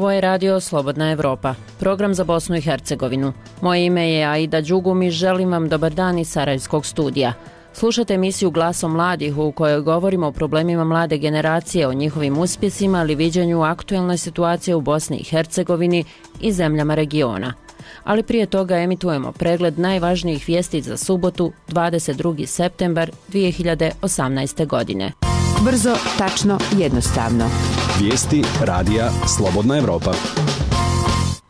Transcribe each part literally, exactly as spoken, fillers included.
Ovo je radio Slobodna Evropa, program za Bosnu i Hercegovinu. Moje ime je Aida Đugum i želim vam dobar dan iz Sarajevskog studija. Slušajte emisiju Glasom mladih u kojoj govorimo o problemima mlade generacije, o njihovim uspjesima ali viđenju aktuelne situacije u Bosni i Hercegovini i zemljama regiona. Ali prije toga emitujemo pregled najvažnijih vijesti za subotu, dvadeset drugi septembar dvije hiljade osamnaeste. godine. Brzo, tačno, jednostavno. Vijesti radija Slobodna Evropa.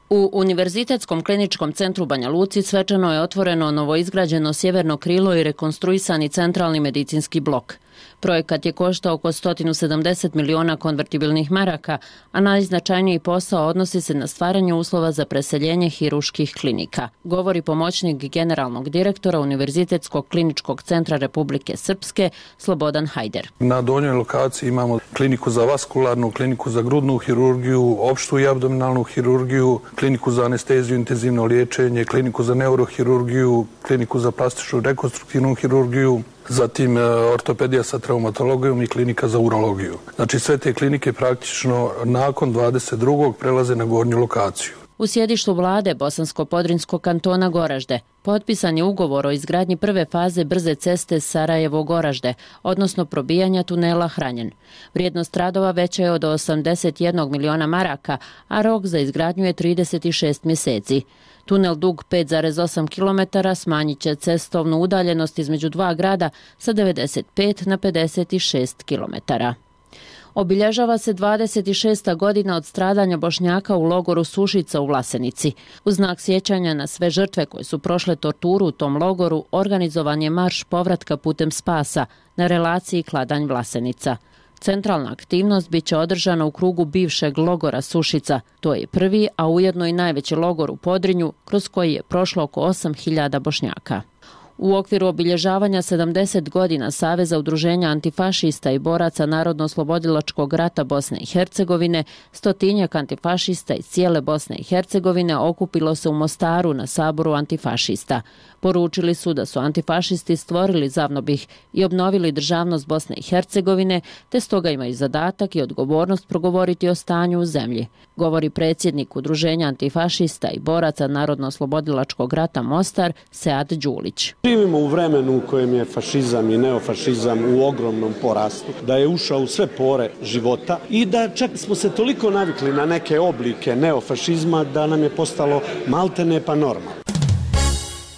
U Univerzitetskom kliničkom centru Banja Luci svečano je otvoreno novoizgrađeno sjeverno krilo i rekonstruisani centralni medicinski blok. Projekat je koštao oko sto sedamdeset miliona konvertibilnih maraka, a najznačajniji posao odnosi se na stvaranje uslova za preseljenje hiruških klinika, govori pomoćnik generalnog direktora Univerzitetskog kliničkog centra Republike Srpske Slobodan Hajder. Na donjoj lokaciji imamo kliniku za vaskularnu, kliniku za grudnu hirurgiju, opštu i abdominalnu hirurgiju, kliniku za anesteziju, intenzivno liječenje, kliniku za neurohirurgiju, kliniku za plastičnu rekonstruktivnu hirurgiju, zatim ortopedija sa traumatologijom i klinika za urologiju. Znači sve te klinike praktično nakon dvadeset drugog prelaze na gornju lokaciju. U sjedištu vlade Bosansko-Podrinjskog kantona Goražde potpisan je ugovor o izgradnji prve faze brze ceste Sarajevo-Goražde, odnosno probijanja tunela Hranjen. Vrijednost radova veća je od osamdeset jedan miliona maraka, a rok za izgradnju je trideset šest mjeseci. Tunel dug pet zarez osam kilometara smanjit će cestovnu udaljenost između dva grada sa devedeset pet na pedeset šest kilometara. Obilježava se dvadeset šesta godina od stradanja Bošnjaka u logoru Sušica u Vlasenici. U znak sjećanja na sve žrtve koje su prošle torturu u tom logoru, organizovan je marš povratka putem spasa na relaciji Kladanj-Vlasenica. Centralna aktivnost bit će održana u krugu bivšeg logora Sušica. To je prvi, a ujedno i najveći logor u Podrinju, kroz koji je prošlo oko osam hiljada Bošnjaka. U okviru obilježavanja sedamdeset godina Saveza udruženja antifašista i boraca Narodno-oslobodilačkog rata Bosne i Hercegovine, stotinjak antifašista iz cijele Bosne i Hercegovine okupilo se u Mostaru na saboru antifašista. Poručili su da su antifašisti stvorili Zavnobih i obnovili državnost Bosne i Hercegovine, te stoga imaju zadatak i odgovornost progovoriti o stanju u zemlji, govori predsjednik udruženja antifašista i boraca Narodno-oslobodilačkog rata Mostar Sead Đulić. Živimo u vremenu u kojem je fašizam i neofašizam u ogromnom porastu, da je ušao u sve pore života i da čak smo se toliko navikli na neke oblike neofašizma da nam je postalo maltene pa normalno.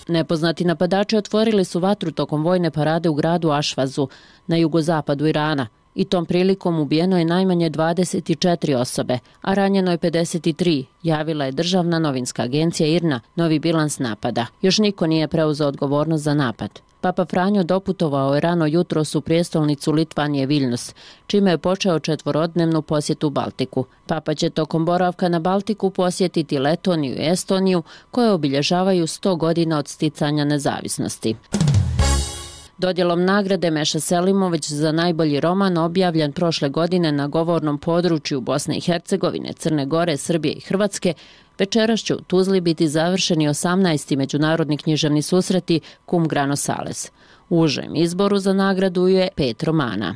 Nepoznati napadači otvorili su vatru tokom vojne parade u gradu Ašvazu na jugozapadu Irana i tom prilikom ubijeno je najmanje dvadeset četiri osobe, a ranjeno je pedeset tri, javila je državna novinska agencija I R N A, novi bilans napada. Još niko nije preuzeo odgovornost za napad. Papa Franjo doputovao je rano jutros u prijestolnicu Litvanije Viljnus, čime je počeo četvorodnevnu posjetu Baltiku. Papa će tokom boravka na Baltiku posjetiti Letoniju i Estoniju, koje obilježavaju sto godina od sticanja nezavisnosti. Dodjelom nagrade Meša Selimović za najbolji roman objavljen prošle godine na govornom području Bosne i Hercegovine, Crne Gore, Srbije i Hrvatske, večeras će u Tuzli biti završeni osamnaesti međunarodni književni susreti Cum Grano Sales. U užem izboru za nagradu je pet romana.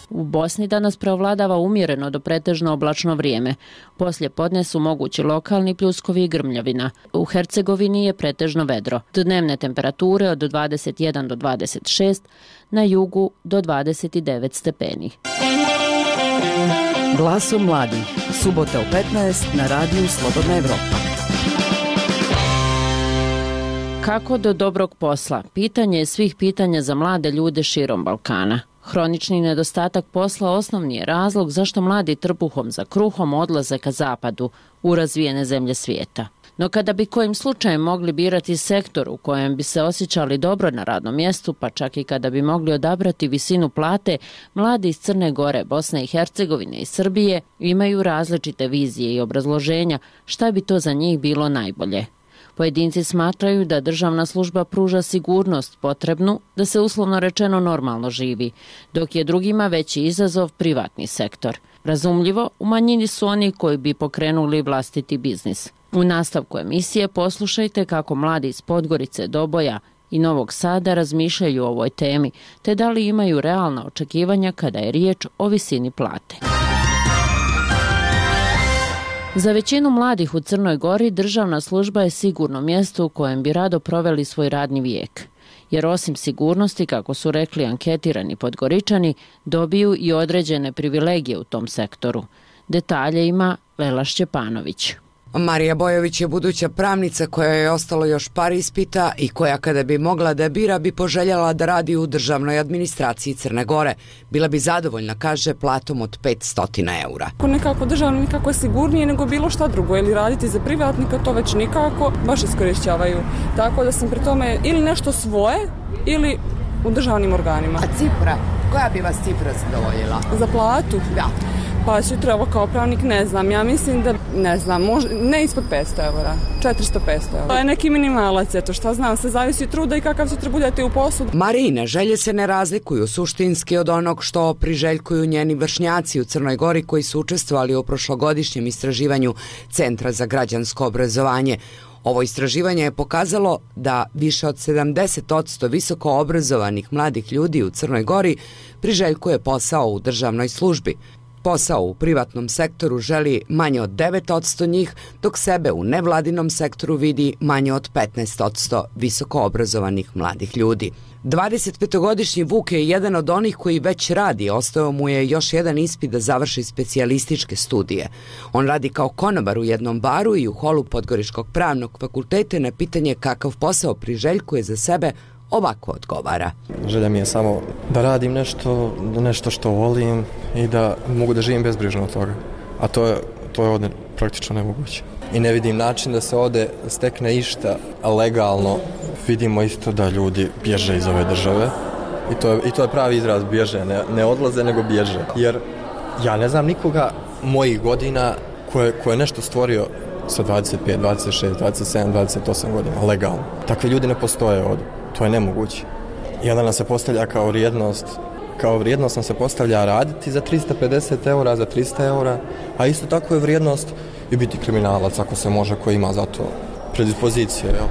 U Bosni danas preovladava umjereno do pretežno oblačno vrijeme. Poslije podne su mogući lokalni pljuskovi i grmljavina. U Hercegovini je pretežno vedro. Dnevne temperature od dvadeset jedan do dvadeset šest, na jugu do dvadeset devet stepeni. Glasom mladih. Subota u petnaest na radiju Slobodna Evropa. Kako do dobrog posla? Pitanje je svih pitanja za mlade ljude širom Balkana. Hronični nedostatak posla osnovni je razlog zašto mladi trbuhom za kruhom odlaze ka zapadu, u razvijene zemlje svijeta. No kada bi kojim slučajem mogli birati sektor u kojem bi se osjećali dobro na radnom mjestu, pa čak i kada bi mogli odabrati visinu plate, mladi iz Crne Gore, Bosne i Hercegovine i Srbije imaju različite vizije i obrazloženja šta bi to za njih bilo najbolje. Pojedinci smatraju da državna služba pruža sigurnost potrebnu da se uslovno rečeno normalno živi, dok je drugima veći izazov privatni sektor. Razumljivo, u manjini su oni koji bi pokrenuli vlastiti biznis. U nastavku emisije poslušajte kako mladi iz Podgorice, Doboja i Novog Sada razmišljaju o ovoj temi, te da li imaju realna očekivanja kada je riječ o visini plate. Za većinu mladih u Crnoj Gori državna služba je sigurno mjesto u kojem bi rado proveli svoj radni vijek. Jer osim sigurnosti, kako su rekli anketirani Podgoričani, dobiju i određene privilegije u tom sektoru. Detalje ima Lela Šćepanović. Marija Bojović je buduća pravnica koja je ostalo još par ispita i koja kada bi mogla da bira bi poželjela da radi u državnoj administraciji Crne Gore. Bila bi zadovoljna, kaže, platom od petsto eura. Nekako državno nikako je sigurnije nego bilo šta drugo, ili raditi za privatnika, to već nikako, baš iskorišćavaju. Tako da sam pri tome ili nešto svoje ili u državnim organima. A cifra? Koja bi vas cifra zadovoljila? Za platu? Da. Pa sutra ovo kao pravnik ne znam, ja mislim da ne znam, možda, ne ispod petsto eura, četiristo do petsto eura. To je neki minimalac, eto šta znam, se zavisi od truda i kakav sutra budete u poslu. Marijine želje se ne razlikuju suštinski od onog što priželjkuju njeni vršnjaci u Crnoj Gori koji su učestvovali u prošlogodišnjem istraživanju Centra za građansko obrazovanje. Ovo istraživanje je pokazalo da više od sedamdeset posto visoko obrazovanih mladih ljudi u Crnoj Gori priželjkuje posao u državnoj službi. Posao u privatnom sektoru želi manje od devet posto njih, dok sebe u nevladinom sektoru vidi manje od petnaest posto visoko obrazovanih mladih ljudi. dvadesetpetogodišnji Vuk je jedan od onih koji već radi, ostao mu je još jedan ispit da završi specijalističke studije. On radi kao konobar u jednom baru i u holu Podgoričkog pravnog fakulteta. Na pitanje kakav posao priželjkuje za sebe, ovako odgovara. Želja mi je samo da radim nešto, nešto što volim i da mogu da živim bezbrižno od toga. A to je, to je ovdje praktično nemoguće. I ne vidim način da se ovdje stekne išta legalno. Vidimo isto da ljudi bježe iz ove države i to je, i to je pravi izraz, bježe, ne, ne odlaze nego bježe. Jer ja ne znam nikoga mojih godina ko je, ko je nešto stvorio sa dvadeset pet, dvadeset šest, dvadeset sedam, dvadeset osam godina, legalno. Takvi ljudi ne postoje ovdje. To je nemoguće. I onda nam se postavlja kao vrijednost, kao vrijednost nam se postavlja raditi za tristo pedeset eura, za tristo eura, a isto tako je vrijednost i biti kriminalac ako se može, ko ima za to predispozicije. Jel?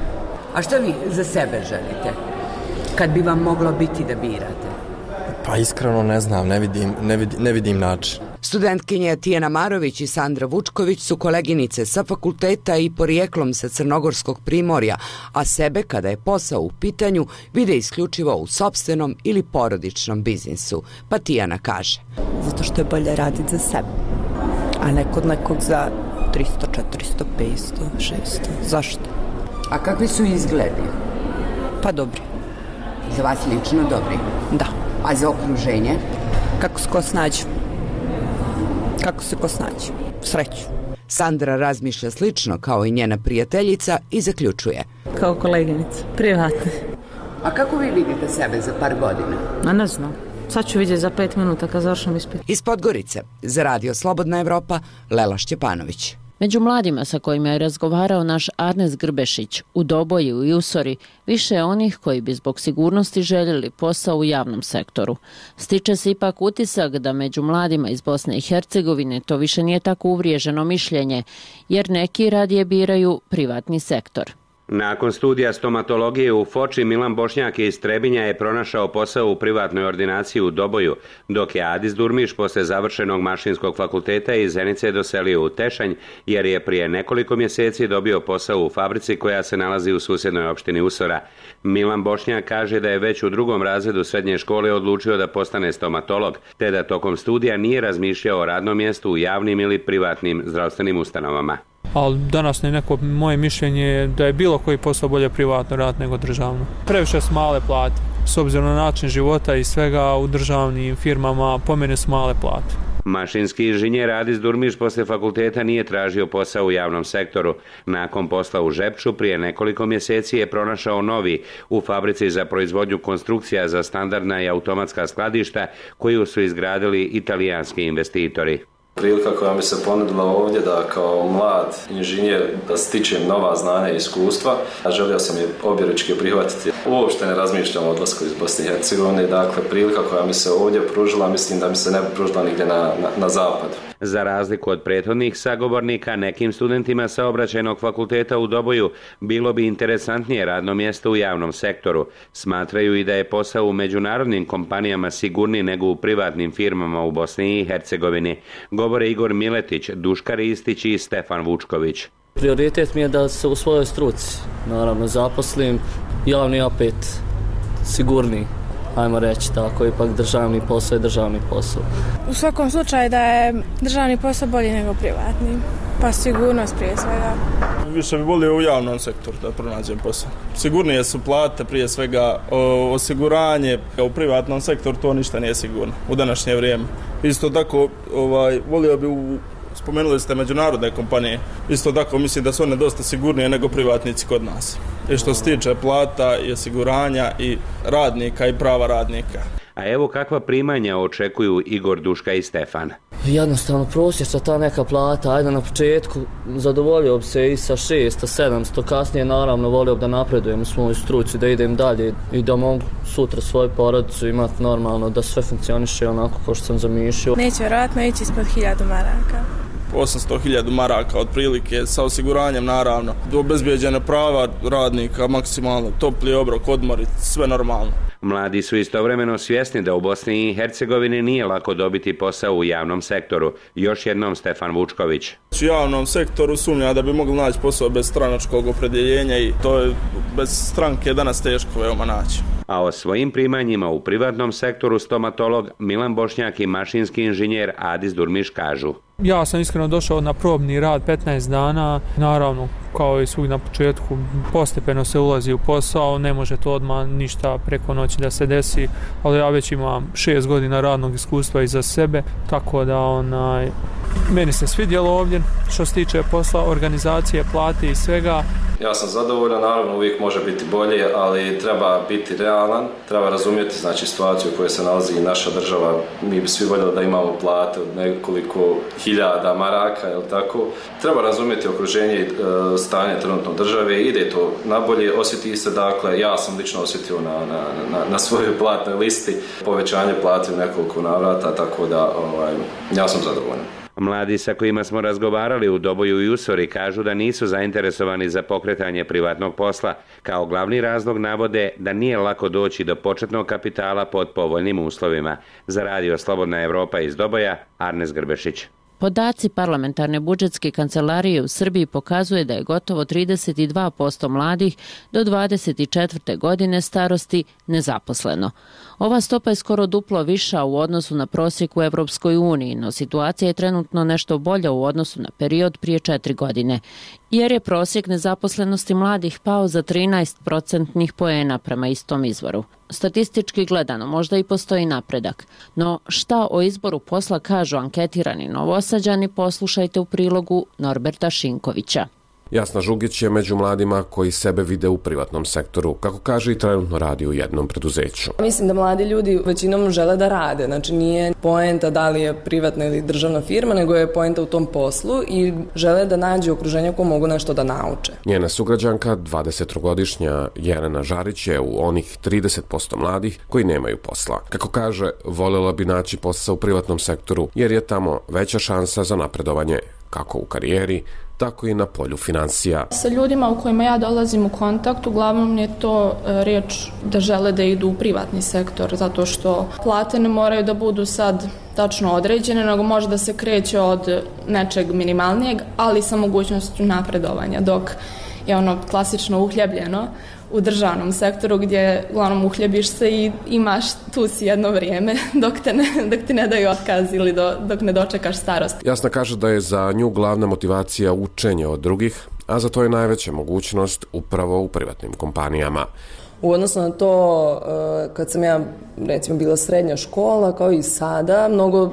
A što vi za sebe želite? Kad bi vam moglo biti da birate? Pa iskreno ne znam, ne vidim, ne vidim, ne vidim način. Studentkinje Tijana Marović i Sandra Vučković su koleginice sa fakulteta i porijeklom sa Crnogorskog primorja, a sebe, kada je posao u pitanju, vide isključivo u sopstvenom ili porodičnom biznisu. Pa Tijana kaže. Zato što je bolje raditi za sebe, a ne kod nekog za tristo, četiristo, petsto, šesto. Zašto? A kakvi su izgledi? Pa dobri. Za vas lično dobri? Da. A za okruženje? Kako se ko snađe? Kako se ko snađe? Sreću. Sandra razmišlja slično kao i njena prijateljica i zaključuje. Kao koleginica, privatne. A kako vi vidite sebe za par godina? A ne znam. Sad ću vidjeti za pet minuta kad završam ispit. Iz Podgorice, za Radio Slobodna Evropa, Lela Šćepanović. Među mladima sa kojima je razgovarao naš Arnes Grbešić, u Doboju i Usori, više je onih koji bi zbog sigurnosti željeli posao u javnom sektoru. Stiče se ipak utisak da među mladima iz Bosne i Hercegovine to više nije tako uvriježeno mišljenje, jer neki radije biraju privatni sektor. Nakon studija stomatologije u Foči, Milan Bošnjak iz Trebinja je pronašao posao u privatnoj ordinaciji u Doboju, dok je Adis Durmiš posle završenog mašinskog fakulteta iz Zenice doselio u Tešanj, jer je prije nekoliko mjeseci dobio posao u fabrici koja se nalazi u susjednoj opštini Usora. Milan Bošnjak kaže da je već u drugom razredu srednje škole odlučio da postane stomatolog, te da tokom studija nije razmišljao o radnom mjestu u javnim ili privatnim zdravstvenim ustanovama. Ali danas ne neko moje mišljenje da je bilo koji posao bolje privatno rad nego državno. Previše su male plate. S obzirom na način života i svega u državnim firmama po mene su male plate. Mašinski inženjer Adis Durmiš posle fakulteta nije tražio posao u javnom sektoru. Nakon posla u Žepču prije nekoliko mjeseci je pronašao novi u fabrici za proizvodnju konstrukcija za standardna i automatska skladišta koju su izgradili italijanski investitori. Prilika koja mi se ponudila ovdje da kao mlad inženjer da stičem nova znanja i iskustva, a želio sam je objeručki prihvatiti. Uopšte ne razmišljam o odlasku iz Bosne i Hercegovine, dakle prilika koja mi se ovdje pružila, mislim da mi se ne bi pružila nigdje na, na, na zapadu. Za razliku od prethodnih sagovornika, nekim studentima Saobraćajnog fakulteta u Doboju bilo bi interesantnije radno mjesto u javnom sektoru. Smatraju i da je posao u međunarodnim kompanijama sigurniji nego u privatnim firmama u Bosni i Hercegovini, govore Igor Miletić, Duška Ristić i Stefan Vučković. Prioritet mi je da se u svojoj struci, naravno, zaposlim, javni opet sigurniji, ajmo reći tako, ipak državni posao je državni posao. U svakom slučaju da je državni posao bolji nego privatni, pa sigurnost prije svega. Više bi volio u javnom sektoru da pronađem posao. Sigurnije su plate, prije svega osiguranje, u privatnom sektoru to ništa nije sigurno u današnje vrijeme. Isto tako, ovaj, volio bi u spomenuli ste međunarodne kompanije. Isto tako mislim da su one dosta sigurnije nego privatnici kod nas. I što se tiče plata i osiguranja i radnika i prava radnika. A evo kakva primanja očekuju Igor, Duška i Stefan. Jednostavno prosječna ta neka plata, ajde na početku zadovoljio bi se i sa šesto sedamsto, kasnije naravno volio bi da napredujem u svojoj struci, da idem dalje i da mogu sutra svoju porodicu imati normalno, da sve funkcioniše onako kao što sam zamišljao. Neće vjerojatno ići ispod hiljadu maraka. osamsto hiljada maraka otprilike, sa osiguranjem naravno, obezbijeđene prava radnika, maksimalno topli obrok, odmori, sve normalno. Mladi su istovremeno svjesni da u Bosni i Hercegovini nije lako dobiti posao u javnom sektoru. Još jednom Stefan Vučković. U javnom sektoru sumnja da bi mogli naći posao bez stranačkog opredjeljenja i to je bez stranke danas teško veoma naći. A o svojim primanjima u privatnom sektoru stomatolog Milan Bošnjak i mašinski inženjer Adis Durmiš kažu. Ja sam iskreno došao na probni rad petnaest dana, naravno kao i svugdje na početku postepeno se ulazi u posao, ne može to odmah ništa preko noći da se desi, ali ja već imam šest godina radnog iskustva iza sebe, tako da onaj, meni se svidjelo ovdje što se tiče posla, organizacije, plate i svega. Ja sam zadovoljan, naravno uvijek može biti bolje, ali treba biti realan, treba razumjeti znači situaciju u kojoj se nalazi i naša država. Mi bi svi voljeli da imamo plate od nekoliko hiljada maraka, jel tako? Treba razumjeti okruženje i e, stanje trenutno države, ide to nabolje, osjeti se, dakle, ja sam lično osjetio na, na, na, na svojoj platnoj listi povećanje plate u nekoliko navrata, tako da ovaj, ja sam zadovoljan. Mladi sa kojima smo razgovarali u Doboju i Usori kažu da nisu zainteresovani za pokretanje privatnog posla. Kao glavni razlog navode da nije lako doći do početnog kapitala pod povoljnim uslovima. Za radio Slobodna Evropa iz Doboja, Arnes Grbešić. Podaci parlamentarne budžetske kancelarije u Srbiji pokazuje da je gotovo trideset dva posto mladih do dvadeset četvrte godine starosti nezaposleno. Ova stopa je skoro duplo viša u odnosu na prosjek u Evropskoj uniji, no situacija je trenutno nešto bolja u odnosu na period prije četiri godine, jer je prosjek nezaposlenosti mladih pao za trinaest procentnih poena prema istom izvoru. Statistički gledano možda i postoji napredak, no šta o izboru posla kažu anketirani Novosađani, poslušajte u prilogu Norberta Šinkovića. Jasna Žugić je među mladima koji sebe vide u privatnom sektoru, kako kaže i trenutno radi u jednom preduzeću. Mislim da mladi ljudi većinom žele da rade, znači nije poenta da li je privatna ili državna firma, nego je poenta u tom poslu i žele da nađu okruženje ko mogu nešto da nauče. Njena sugrađanka, dvadesettrogodišnja Jelena Žarić, je u onih trideset posto mladih koji nemaju posla. Kako kaže, voljela bi naći posao u privatnom sektoru jer je tamo veća šansa za napredovanje, kako u karijeri, tako i na polju financija. Sa ljudima u kojima ja dolazim u kontakt, uglavnom je to riječ da žele da idu u privatni sektor, zato što plate ne moraju da budu sad tačno određene, nego može da se kreće od nečeg minimalnijeg, ali sa mogućnošću napredovanja, dok je ono klasično uhljebljeno u državnom sektoru gdje uglavnom uhljebiš se i imaš tu si jedno vrijeme dok, te ne, dok ti ne daju otkaz ili do, dok ne dočekaš starost. Jasna kaže da je za nju glavna motivacija učenje od drugih, a za to je najveća mogućnost upravo u privatnim kompanijama. U odnosu na to, kad sam ja recimo bila srednja škola, kao i sada, mnogo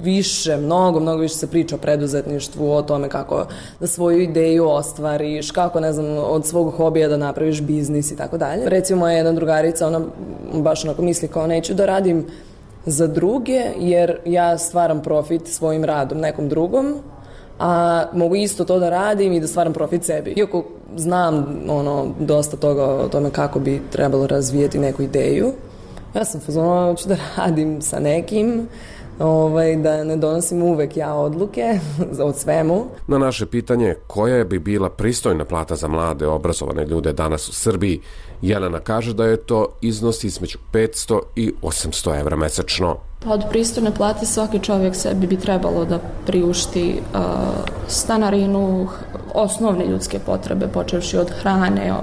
više, mnogo, mnogo više se priča o preduzetništvu, o tome kako da svoju ideju ostvariš, kako, ne znam, od svog hobija da napraviš biznis i tako dalje. Recimo, moja jedna drugarica, ona baš onako misli kao neću da radim za druge, jer ja stvaram profit svojim radom nekom drugom, a mogu isto to da radim i da stvaram profit sebi. Iako znam ono, dosta toga o tome kako bi trebalo razvijeti neku ideju, ja sam fazona, hoću da radim sa nekim, ovaj, da ne donosim uvek ja odluke od svemu. Na naše pitanje koja bi bila pristojna plata za mlade obrazovane ljude danas u Srbiji, Jelena kaže da je to iznos između petsto i osamsto evra mesečno. Od pristojne plate svaki čovjek sebi bi trebalo da priušti uh, stanarinu, osnovne ljudske potrebe, počevši od hrane,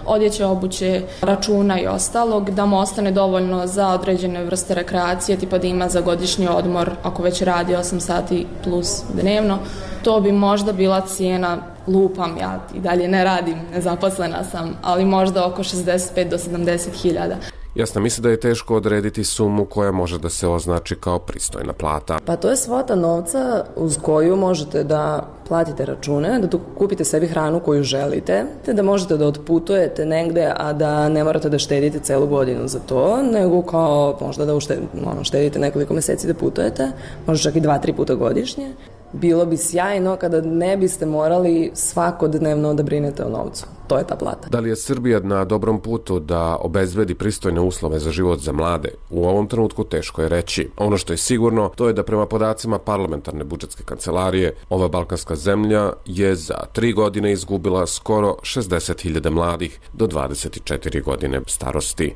odjeće, obuće, računa i ostalog, da mu ostane dovoljno za određene vrste rekreacije, tipa da ima za godišnji odmor, ako već radi osam sati plus dnevno. To bi možda bila cijena, lupam, ja i dalje ne radim, nezaposlena sam, ali možda oko šezdeset pet do sedamdeset hiljada. Jasno, misli da je teško odrediti sumu koja može da se označi kao pristojna plata. Pa to je svota novca uz koju možete da platite račune, da tu kupite sebi hranu koju želite, te da možete da otputujete negde, a da ne morate da štedite celu godinu za to, nego kao možda da uštedite, ono, štedite nekoliko meseci da putujete, možda čak i dva, tri puta godišnje. Bilo bi sjajno kada ne biste morali svakodnevno da brinete o novcu. To je ta plata. Da li je Srbija na dobrom putu da obezbedi pristojne uslove za život za mlade? U ovom trenutku teško je reći. Ono što je sigurno, to je da prema podacima parlamentarne budžetske kancelarije, ova balkanska zemlja je za tri godine izgubila skoro šezdeset hiljada mladih do dvadeset četiri godine starosti.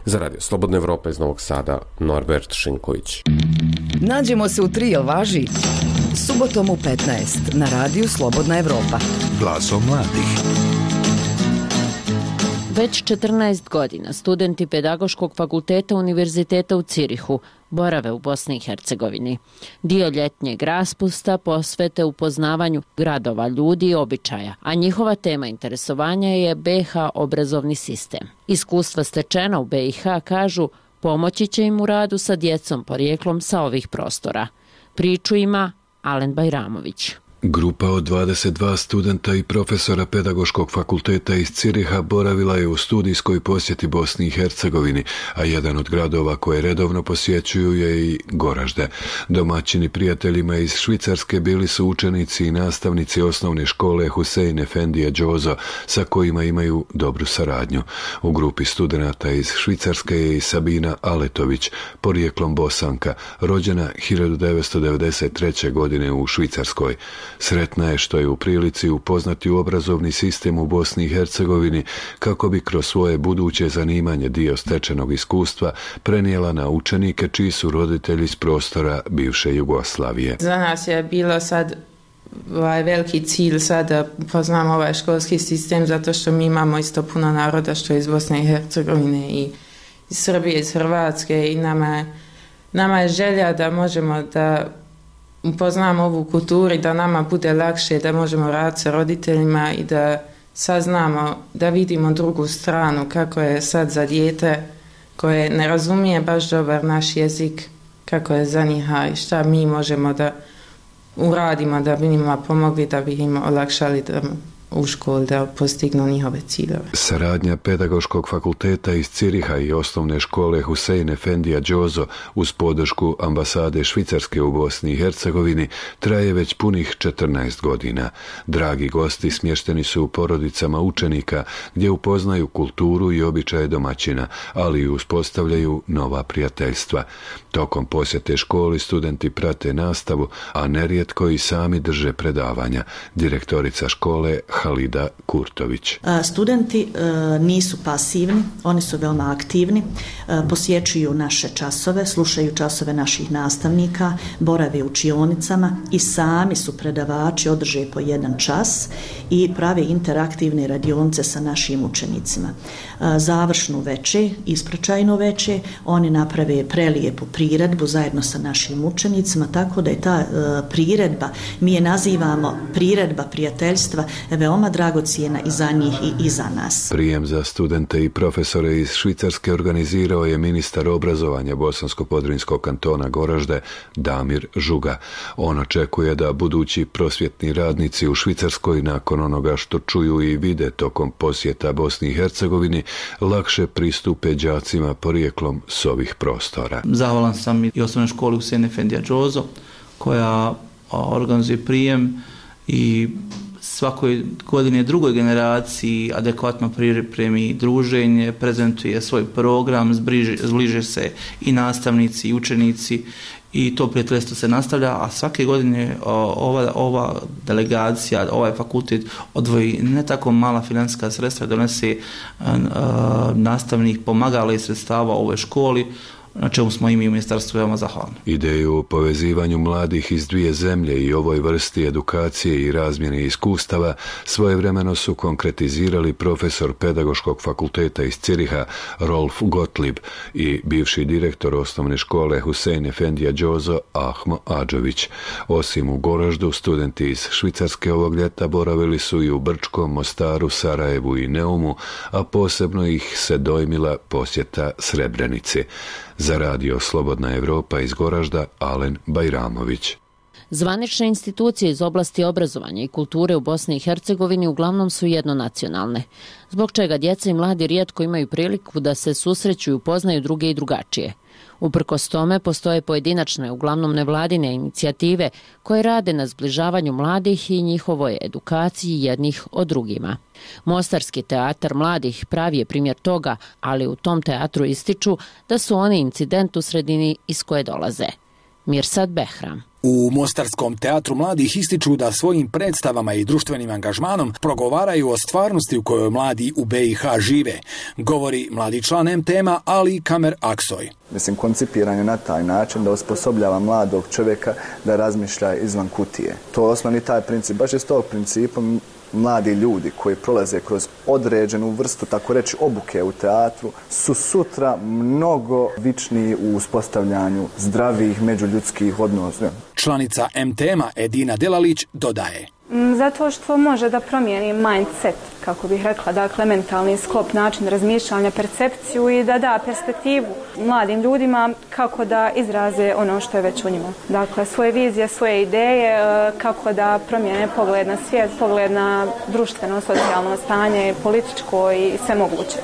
Za Radio Slobodna Evropa iz Novog Sada, Norbert Šinković. Nađemo se u tri, jel važi? Subotom u petnaest na Radiju Slobodna Evropa. Glasom mladih. Već četrnaest godina studenti Pedagoškog fakulteta Univerziteta u Cirihu borave u Bosni i Hercegovini. Dio ljetnjeg raspusta posvete upoznavanju gradova, ljudi i običaja, a njihova tema interesovanja je B i H obrazovni sistem. Iskustva stečena u B i H, kažu, pomoći će im u radu sa djecom porijeklom sa ovih prostora. Priču ima Alen Bajramović. Grupa od dvadeset dva studenta i profesora Pedagoškog fakulteta iz Ciriha boravila je u studijskoj posjeti Bosni i Hercegovini, a jedan od gradova koje redovno posjećuju je i Goražde. Domaćini prijateljima iz Švicarske bili su učenici i nastavnici osnovne škole Husein Efendija Đozo, sa kojima imaju dobru saradnju. U grupi studenata iz Švicarske je i Sabina Aletović, porijeklom Bosanka, rođena hiljadu devetsto devedeset treće. godine u Švicarskoj. Sretna je što je u prilici upoznati u obrazovni sistem u Bosni i Hercegovini kako bi kroz svoje buduće zanimanje dio stečenog iskustva prenijela na učenike čiji su roditelji iz prostora bivše Jugoslavije. Za nas je bilo sad ovaj veliki cilj sad da poznamo ovaj školski sistem zato što mi imamo isto puno naroda što je iz Bosne i Hercegovine i iz Srbije, iz Hrvatske i nama je, nama je želja da možemo da upoznamo ovu kulturu i da nama bude lakše, da možemo raditi sa roditeljima i da saznamo, da vidimo drugu stranu kako je sad za dijete koje ne razumije baš dobar naš jezik, kako je za njih i šta mi možemo da uradimo da bi njima pomogli, da bi im olakšali da u školi da postignu njihove ciljeve. Saradnja Pedagoškog fakulteta iz Ciriha i osnovne škole Husein Efendija Đozo uz podršku ambasade Švicarske u Bosni i Hercegovini traje već punih četrnaest godina. Dragi gosti smješteni su u porodicama učenika gdje upoznaju kulturu i običaje domaćina, ali i uspostavljaju nova prijateljstva. Tokom posjete školi studenti prate nastavu, a nerijetko i sami drže predavanja. Direktorica škole Halida Kurtović. Studenti nisu pasivni, oni su veoma aktivni, posjećuju naše časove, slušaju časove naših nastavnika, borave u učionicama i sami su predavači, održe po jedan čas i prave interaktivne radionice sa našim učenicima. Završnu veče, ispraćajnu veče, oni naprave prelijepu priredbu zajedno sa našim učenicima, tako da je ta priredba, mi je nazivamo priredba prijateljstva, veoma dragocijena i za njih i, i za nas. Prijem za studente i profesore iz Švicarske organizirao je ministar obrazovanja Bosansko-Podrinjskog kantona Goražde Damir Žuga. On očekuje da budući prosvjetni radnici u Švicarskoj nakon onoga što čuju i vide tokom posjeta Bosni i Hercegovini lakše pristupe đacima porijeklom s ovih prostora. Zahvalan sam i osnovnoj školi Husein Efendija Đozo koja organizuje prijem i svakoj godine drugoj generaciji adekvatno pripremi druženje, prezentuje svoj program, zbliže, zbliže se i nastavnici i učenici i to prijateljstvo se nastavlja, a svake godine ova, ova delegacija, ovaj fakultet odvoji ne tako mala financijska sredstva, donese a, a, nastavnih pomagala i sredstava ovoj školi, na čemu smo i mi u ministarstvu veoma zahvalni. Ideju o povezivanju mladih iz dvije zemlje i ovoj vrsti edukacije i razmjene iskustava svojevremeno su konkretizirali profesor Pedagoškog fakulteta iz Ciriha Rolf Gottlieb i bivši direktor osnovne škole Husein Efendija Džozo Ahmo Adžović. Osim u Goraždu, studenti iz Švicarske ovog ljeta boravili su i u Brčkom, Mostaru, Sarajevu i Neumu, a posebno ih se dojmila posjeta Srebrenici. Za radio Slobodna Evropa iz Goražda, Alen Bajramović. Zvanične institucije iz oblasti obrazovanja i kulture u Bosni i Hercegovini uglavnom su jednonacionalne, zbog čega djeca i mladi rijetko imaju priliku da se susreću i upoznaju druge i drugačije. Uprkos tome, postoje pojedinačne, uglavnom nevladine inicijative koje rade na zbližavanju mladih i njihovoj edukaciji jednih od drugima. Mostarski teatar mladih pravi je primjer toga, ali u tom teatru ističu da su oni incident u sredini iz koje dolaze. Mirsad Behram. U Mostarskom teatru mladih ističu da svojim predstavama i društvenim angažmanom progovaraju o stvarnosti u kojoj mladi u B i H žive, govori mladi član em te ema Ali Kamer Aksoy. Mislim, koncipiran je na taj način da osposobljava mladog čovjeka da razmišlja izvan kutije. To je osnovni taj princip. Baš iz tog principa mladi ljudi koji prolaze kroz određenu vrstu, tako reći, obuke u teatru, su sutra mnogo vičniji u uspostavljanju zdravih međuljudskih odnosa. Članica em te ema Edina Delalić dodaje. Zato što može da promijeni mindset, kako bih rekla, dakle mentalni sklop, način razmišljanja, percepciju i da da perspektivu mladim ljudima kako da izraze ono što je već u njima. Dakle, svoje vizije, svoje ideje, kako da promijene pogled na svijet, pogled na društveno, socijalno stanje, političko i sve moguće.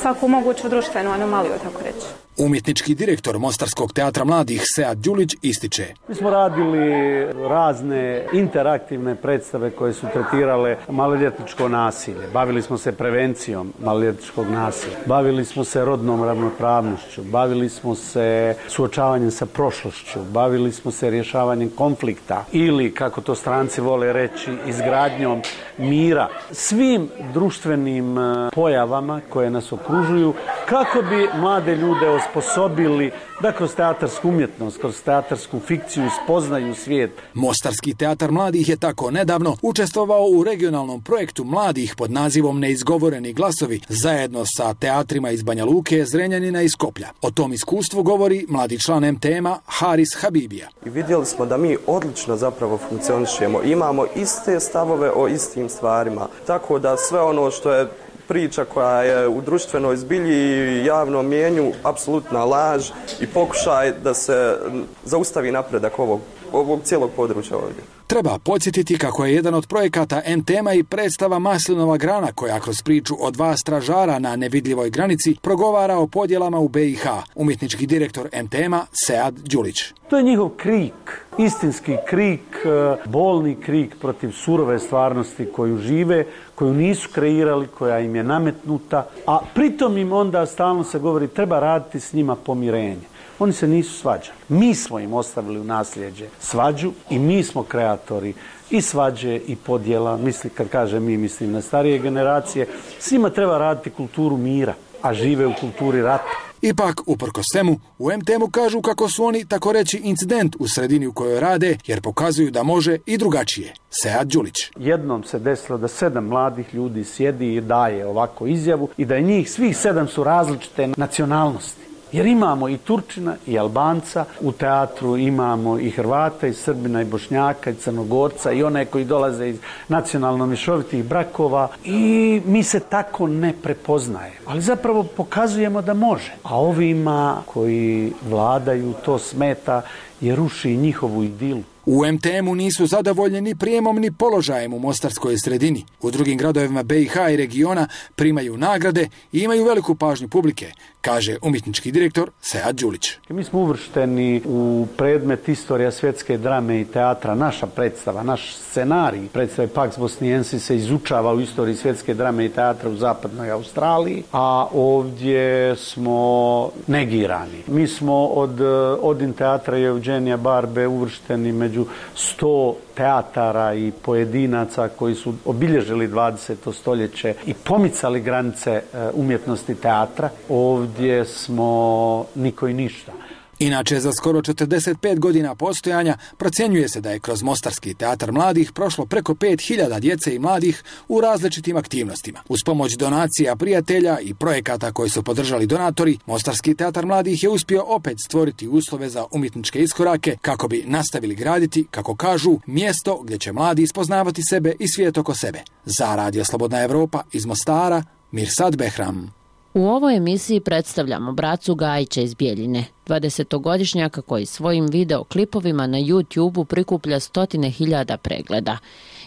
Svaku moguću društvenu anomaliju, tako reći. Umjetnički direktor Mostarskog teatra mladih Sead Đulić ističe. Mi smo radili razne interaktivne predstave koje su tretirale maloljetničko nasilje. Bavili smo se prevencijom maloljetničkog nasilja. Bavili smo se rodnom ravnopravnošću. Bavili smo se suočavanjem sa prošlošću. Bavili smo se rješavanjem konflikta ili, kako to stranci vole reći, izgradnjom mira. Svim društvenim pojavama koje nas okružuju, kako bi mlade ljude osposobili da kroz teatarsku umjetnost, kroz teatarsku fikciju spoznaju svijet. Mostarski teatar mladih je tako nedavno učestvovao u regionalnom projektu mladih pod nazivom Neizgovoreni glasovi zajedno sa teatrima iz Banja Luke, Zrenjanina i Skoplja. O tom iskustvu govori mladi član em te ema Haris Habibija. I vidjeli smo da mi odlično zapravo funkcionišemo. Imamo iste stavove o istim stvarima. Tako da sve ono što je priča koja je u društvenoj zbilji i javnom mijenju apsolutna laž i pokušaj da se zaustavi napredak ovog, ovog cijelog područja ovdje. Treba podsjetiti kako je jedan od projekata em te ema i predstava Maslinova grana koja kroz priču o dva stražara na nevidljivoj granici progovara o podjelama u be i ha. Umjetnički direktor em te ema Sead Đulić. To je njihov krik, istinski krik, bolni krik protiv surove stvarnosti koju žive, koju nisu kreirali, koja im je nametnuta, a pritom im onda stalno se govori treba raditi s njima pomirenje. Oni se nisu svađali. Mi smo im ostavili u nasljeđe svađu i mi smo kreatori i svađe i podjela. Misli, kad kažem mi, mislim na starije generacije. Svima treba raditi kulturu mira, a žive u kulturi rata. Ipak, uprkos svemu, u em te emu kažu kako su oni, tako reći, incident u sredini u kojoj rade, jer pokazuju da može i drugačije. Sead Đulić. Jednom se desilo da sedam mladih ljudi sjedi i daje ovako izjavu i da je njih svih sedam su različite nacionalnosti. Jer imamo i Turčina i Albanca, u teatru imamo i Hrvata, i Srbina, i Bošnjaka, i Crnogorca, i one koji dolaze iz nacionalno mješovitih brakova i mi se tako ne prepoznajemo. Ali zapravo pokazujemo da može. A ovima koji vladaju to smeta jer ruši njihovu idilu. U em te emu nisu zadovoljni prijemom ni položajem u mostarskoj sredini. U drugim gradovima be i ha i regiona primaju nagrade i imaju veliku pažnju publike, kaže umjetnički direktor Sead Đulić. Mi smo uvršteni u predmet istorija svjetske drame i teatra. Naša predstava, naš scenarij predstave Pax Bosniensis se izučava u istoriji svjetske drame i teatra u zapadnoj Australiji, a ovdje smo negirani. Mi smo od Odin teatra i Eugenija Barbe uvršteni među sto teatara i pojedinaca koji su obilježili dvadeseto stoljeće i pomicali granice umjetnosti teatra. Ovdje smo niko i ništa. Inače, za skoro četrdeset pet godina postojanja procjenjuje se da je kroz Mostarski teatar mladih prošlo preko pet hiljada djece i mladih u različitim aktivnostima. Uz pomoć donacija prijatelja i projekata koji su podržali donatori, Mostarski teatar mladih je uspio opet stvoriti uslove za umjetničke iskorake kako bi nastavili graditi, kako kažu, mjesto gdje će mladi ispoznavati sebe i svijet oko sebe. Za Radio Slobodna Evropa iz Mostara, Mirsad Behram. U ovoj emisiji predstavljamo Bracu Gajića iz Bijeljine, dvadesetogodišnjaka koji svojim videoklipovima na YouTubeu prikuplja stotine hiljada pregleda.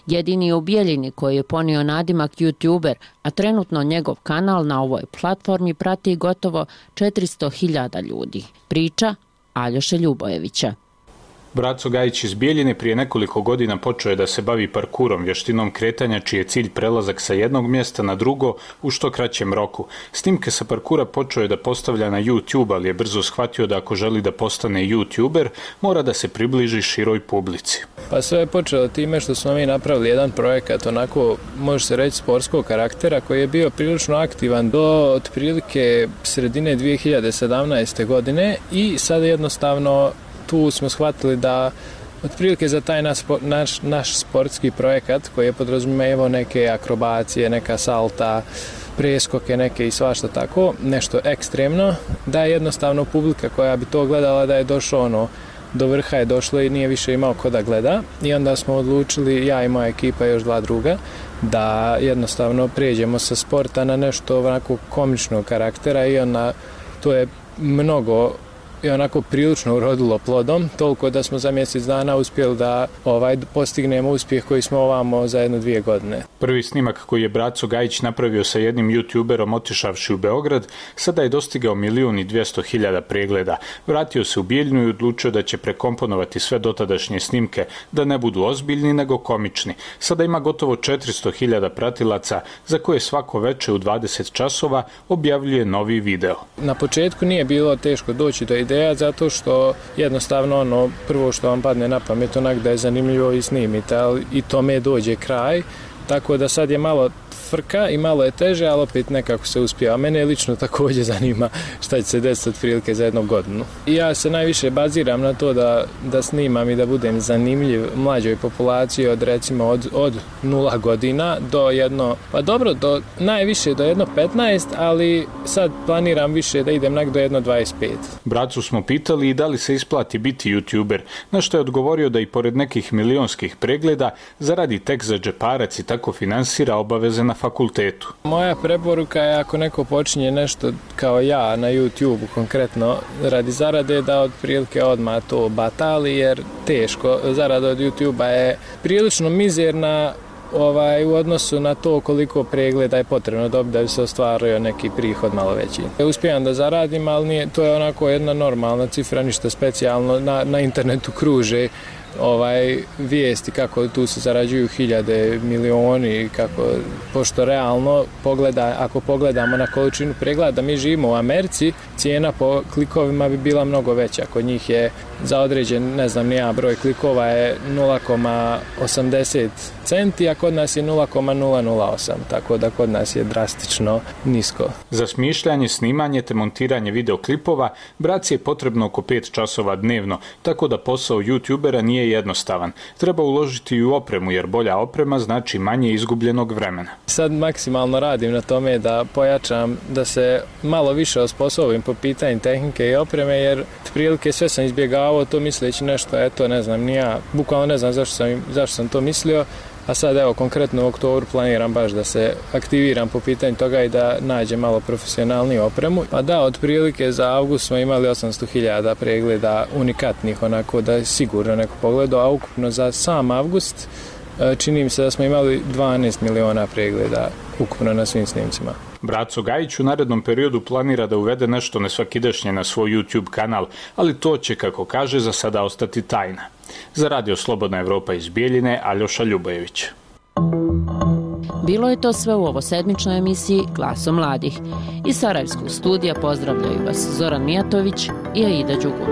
Jedini u Bijeljini koji je ponio nadimak YouTuber, a trenutno njegov kanal na ovoj platformi prati gotovo četiristo hiljada ljudi. Priča Aljoše Ljubojevića. Braco Gajić iz Bijeljine prije nekoliko godina počeo je da se bavi parkurom, vještinom kretanja čiji je cilj prelazak sa jednog mjesta na drugo u što kraćem roku. Snimke sa parkura počeo je da postavlja na YouTube, ali je brzo shvatio da ako želi da postane YouTuber, mora da se približi široj publici. Pa sve je počelo time što smo mi napravili jedan projekat, onako može se reći sportskog karaktera, koji je bio prilično aktivan do otprilike sredine dvije hiljade sedamnaeste. godine i sad jednostavno tu smo shvatili da otprilike za taj naš, naš, naš sportski projekat koji je podrazumijevao neke akrobacije, neka salta, preskoke neke i svašta tako, nešto ekstremno, da je jednostavno publika koja bi to gledala da je došlo ono, do vrha je došlo i nije više imao ko da gleda i onda smo odlučili, ja i moja ekipa i još dva druga, da jednostavno prijeđemo sa sporta na nešto onako komičnog karaktera i onda to je mnogo i onako prilično urodilo plodom, toliko da smo za mjesec dana uspjeli da ovaj postignemo uspjeh koji smo ovamo za jedno dvije godine. Prvi snimak koji je Braco Gajić napravio sa jednim YouTuberom otišavši u Beograd, sada je dostigao milijun i dvjesto hiljada pregleda. Vratio se u Bijeljinu i odlučio da će prekomponovati sve dotadašnje snimke, da ne budu ozbiljni nego komični. Sada ima gotovo četiristo hiljada pratilaca, za koje svako veče u dvadeset časova objavljuje novi video. Na početku nije bilo teško doći do ideja zato što jednostavno ono prvo što vam padne na pamet onak da je zanimljivo i snimite, ali i tome dođe kraj, tako da sad je malo frka i malo je teže, ali opet nekako se uspije. A mene lično također zanima šta će se desiti otprilike za jednu godinu. I ja se najviše baziram na to da, da snimam i da budem zanimljiv mlađoj populaciji od recimo od, od nula godina do jedno, pa dobro, do, najviše do jedno petnaest, ali sad planiram više da idem nak do jedno dvadeset pet. Bracu smo pitali i da li se isplati biti YouTuber, na što je odgovorio da i pored nekih milionskih pregleda zaradi tek za džeparac i tako finansira obaveze na fakultetu. Moja preporuka je ako neko počinje nešto kao ja na YouTube konkretno radi zarade da otprilike odmah to batali jer teško. Zarada od YouTube-a je prilično mizerna ovaj, u odnosu na to koliko pregleda je potrebno dobiti da bi se ostvario neki prihod malo veći. Uspijem da zaradim, ali nije, to je onako jedna normalna cifra, ništa specijalno. Na, na internetu kruže ovaj vijesti kako tu se zarađuju hiljade, milioni, kako, pošto realno pogleda, ako pogledamo na količinu pregleda, mi živimo u Americi, cijena po klikovima bi bila mnogo veća. Kod njih je za određen, ne znam, nija broj klikova je nula zarez osamdeset centi, a kod nas je nula zarez nula nula osam, tako da kod nas je drastično nisko. Za smišljanje, snimanje te montiranje videoklipova Braci je potrebno oko pet časova dnevno, tako da posao YouTubera nije jednostavan. Treba uložiti i u opremu, jer bolja oprema znači manje izgubljenog vremena. Sad maksimalno radim na tome da pojačam, da se malo više osposobim po pitanju tehnike i opreme, jer prilike sve sam izbjegavao to misleći nešto, eto, ne znam, nija, bukvalno ne znam zašto sam, zašto sam to mislio, a sad evo konkretno u oktobru planiram baš da se aktiviram po pitanju toga i da nađem malo profesionalniju opremu. Pa da, otprilike za avgust smo imali osamsto hiljada pregleda unikatnih, onako da je sigurno neko pogledao, a ukupno za sam avgust čini mi se da smo imali dvanaest miliona pregleda ukupno na svim snimcima. Braco Gajić u narednom periodu planira da uvede nešto nesvakidašnje na svoj YouTube kanal, ali to će, kako kaže, za sada ostati tajna. Za Radio Slobodna Evropa iz Bijeljine, Aljoša Ljubojević. Bilo je to sve u ovo sedmičnoj emisiji Glaso mladih. Iz Sarajevskog studija pozdravljaju vas Zoran Mijatović i Aida Đugum.